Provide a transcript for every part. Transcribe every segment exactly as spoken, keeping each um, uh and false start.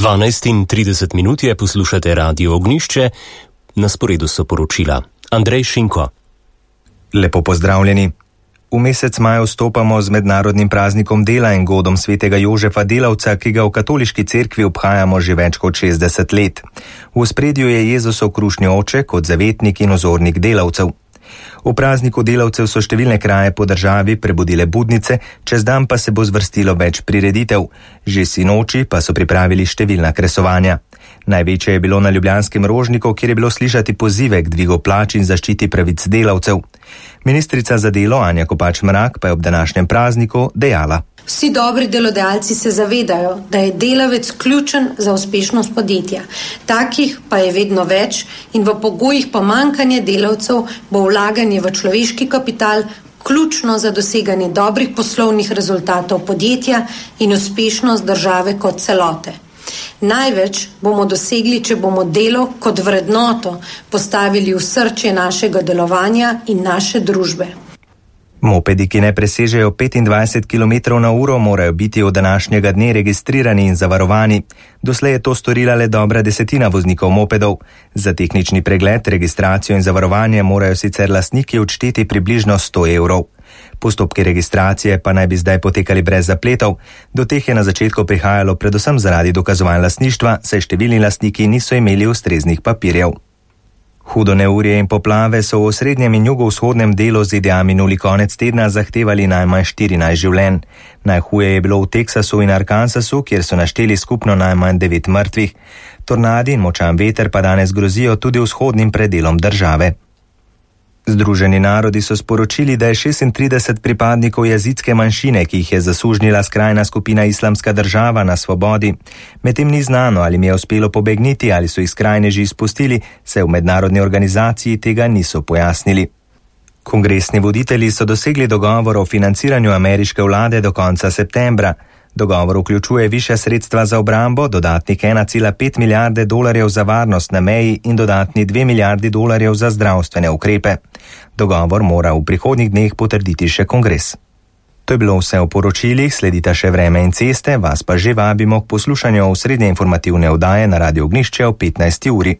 dvanajst in trideset minut je, poslušate Radio Ognjišče, na sporedu so poročila. Andrej Šinko. Lepo pozdravljeni. V mesec maj vstopamo z mednarodnim praznikom dela in godom svetega Jožefa Delavca, ki ga v katoliški cerkvi obhajamo že več kot šestdeset let. V ospredju je Jezusov krušni oče kot zavetnik in ozornik delavcev. V prazniku delavcev so številne kraje po državi prebudile budnice, čez dan pa se bo zvrstilo več prireditev. Že sinoči pa so pripravili številna kresovanja. Največje je bilo na ljubljanskem Rožniku, kjer je bilo slišati pozive k dvigu plač in zaščiti pravic delavcev. Ministrica za delo Anja Kopač Mrak pa je ob današnjem prazniku dejala: Vsi dobri delodajalci se zavedajo, da je delavec ključen za uspešnost podjetja. Takih pa je vedno več in v pogojih pomanjkanja delavcev bo vlaganje v človeški kapital ključno za doseganje dobrih poslovnih rezultatov podjetja in uspešnost države kot celote. Največ bomo dosegli, če bomo delo kot vrednoto postavili v srce našega delovanja in naše družbe. Mopedi, ki ne presežejo petindvajset kilometrov na uro, morajo biti od današnjega dne registrirani in zavarovani. Doslej je to storila le dobra desetina voznikov mopedov. Za tehnični pregled, registracijo in zavarovanje morajo sicer lastniki odšteti približno sto evrov. Postopki registracije pa naj bi zdaj potekali brez zapletov. Do teh je na začetku prihajalo predvsem zaradi dokazovanj lastništva, saj številni lastniki niso imeli ustreznih papirjev. Hudo neurje in poplave so v osrednjem in jugovzhodnem delu Z D A minuli konec tedna zahtevali najmanj štirinajst življenj. Najhuje je bilo v Teksasu in Arkansasu, kjer so našteli skupno najmanj devet mrtvih. Tornadi in močan veter pa danes grozijo tudi vzhodnim predelom države. Združeni narodi so sporočili, da je šestintrideset pripadnikov jazidske manjšine, ki jih je zasužnjila skrajna skupina Islamska država, na svobodi. Medtem ni znano, ali jim je uspelo pobegniti ali so jih skrajneži izpustili, saj v mednarodni organizaciji tega niso pojasnili. Kongresni voditelji so dosegli dogovor o financiranju ameriške vlade do konca septembra. Dogovor vključuje višja sredstva za obrambo, dodatnih ena cela pet milijarde dolarjev za varnost na meji in dodatni dve milijardi dolarjev za zdravstvene ukrepe. Dogovor mora v prihodnjih dneh potrditi še kongres. To je bilo vse v poročilih, sledita še vreme in ceste, vas pa že vabimo k poslušanju osrednje informativne oddaje na Radio Ognjišče o petnajsti uri.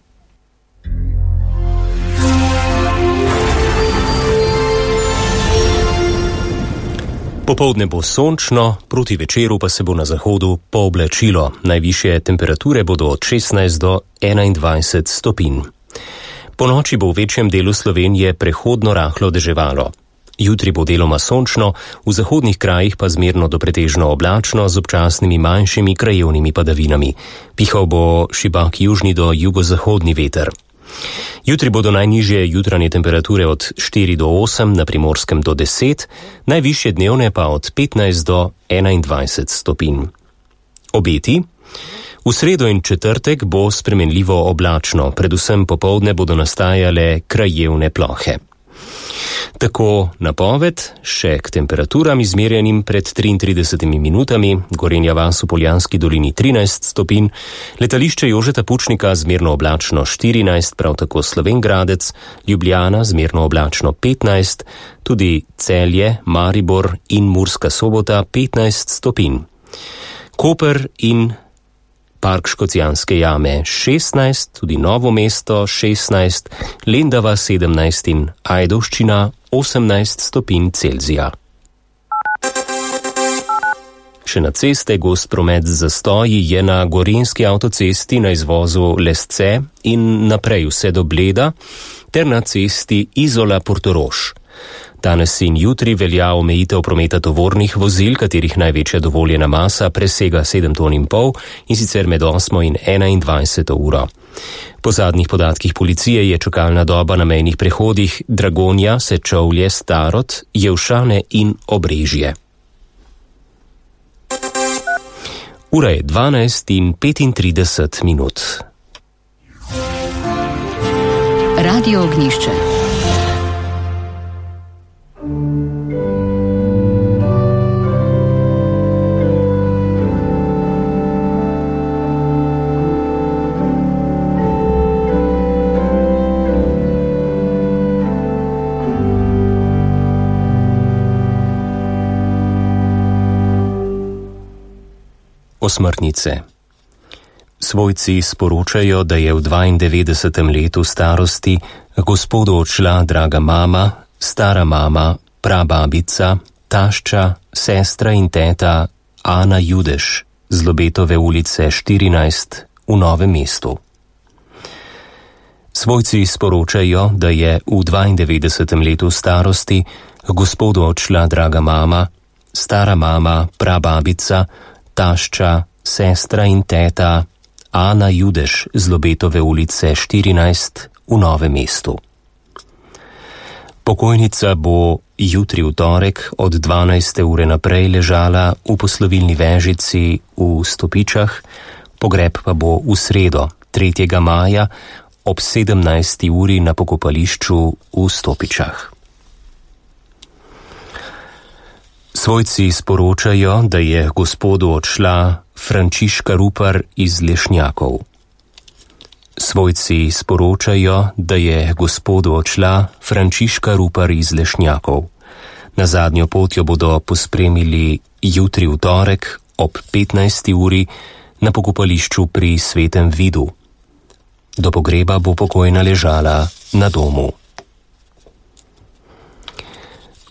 Popoldne bo sončno, proti večeru pa se bo na zahodu pooblačilo. Najvišje temperature bodo od šestnajst do enaindvajset stopinj. Po noči bo v večjem delu Slovenije prehodno rahlo deževalo. Jutri bo deloma sončno, v zahodnih krajih pa zmerno do pretežno oblačno z občasnimi manjšimi krajevnimi padavinami. Pihal bo šibak južni do jugozahodni veter. Jutri bodo najnižje jutranje temperature od štiri do osem, na Primorskem do deset, najvišje dnevne pa od petnajst do enaindvajset stopinj. Obeti? V sredo in četrtek bo spremenljivo oblačno, predvsem popoldne bodo nastajale krajevne plohe. Tako napoved, še k temperaturam izmerjenim pred triintridesetimi minutami, Gorenja vas v Poljanski dolini trinajst stopinj, letališče Jožeta Pučnika zmerno oblačno štirinajst, prav tako Slovenj Gradec, Ljubljana zmerno oblačno petnajst, tudi Celje, Maribor in Murska Sobota petnajst stopinj. Koper in Park Škocjanske jame šestnajst, tudi Novo mesto šestnajst, Lendava sedemnajst in Ajdovščina osemnajst stopinj Celzija. Še na ceste gost promet z zastoji je na gorenjski avtocesti na izvozu Lesce in naprej vse do Bleda, ter na cesti Izola-Portorož. Danes in jutri velja omejitev prometa tovornih vozil, katerih največja dovoljena masa presega sedem ton in pol, in sicer med osmo in enaindvajseto uro. Po zadnjih podatkih policije je čakalna doba na mejnih prehodih Dragonja, Sečovlje, Starod, Jevšane in Obrežje. Ura je dvanajst in petintrideset minut. Radio Ognjišče. Osmrtnice. Svojci sporočajo, da je v dvaindevetdesetem letu starosti gospodu odšla draga mama, stara mama, prababica, tašča, sestra in teta Ana Judeš z Lobetove ulice štirinajst v Novem mestu. Svojci sporočajo, da je v dvaindevetdesetem letu starosti gospodu odšla draga mama, stara mama, prababica, tašča, sestra in teta Ana Judeš z Lobetove ulice štirinajst v Novem mestu. Pokojnica bo jutri v torek od dvanajste ure naprej ležala v poslovilni vežici v Stopičah, pogreb pa bo v sredo, tretjega maja, ob sedemnajsti uri na pokopališču v Stopičah. Svojci sporočajo, da je gospodu odšla Frančiška Rupar iz Lešnjakov. Svojci sporočajo, da je gospodu odšla Frančiška Rupar iz Lešnjakov. Na zadnjo pot jo bodo pospremili jutri v torek ob petnajsti uri na pokopališču pri Svetem Vidu. Do pogreba bo pokojna ležala na domu.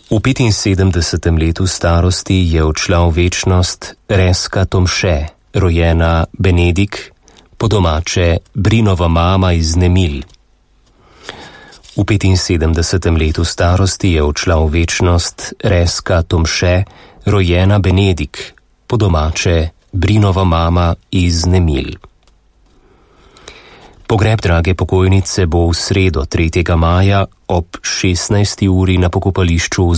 V petinsedemdesetem letu starosti je odšla v večnost Reska Tomše, rojena Benedik, po domače Brinova mama iz Nemil. V petinsedemdesetem letu starosti je odšla v večnost Reska Tomše, rojena Benedik, po domače Brinova mama iz Nemil. Pogreb drage pokojnice bo v sredo tretjega maja ob šestnajsti uri na pokopališču v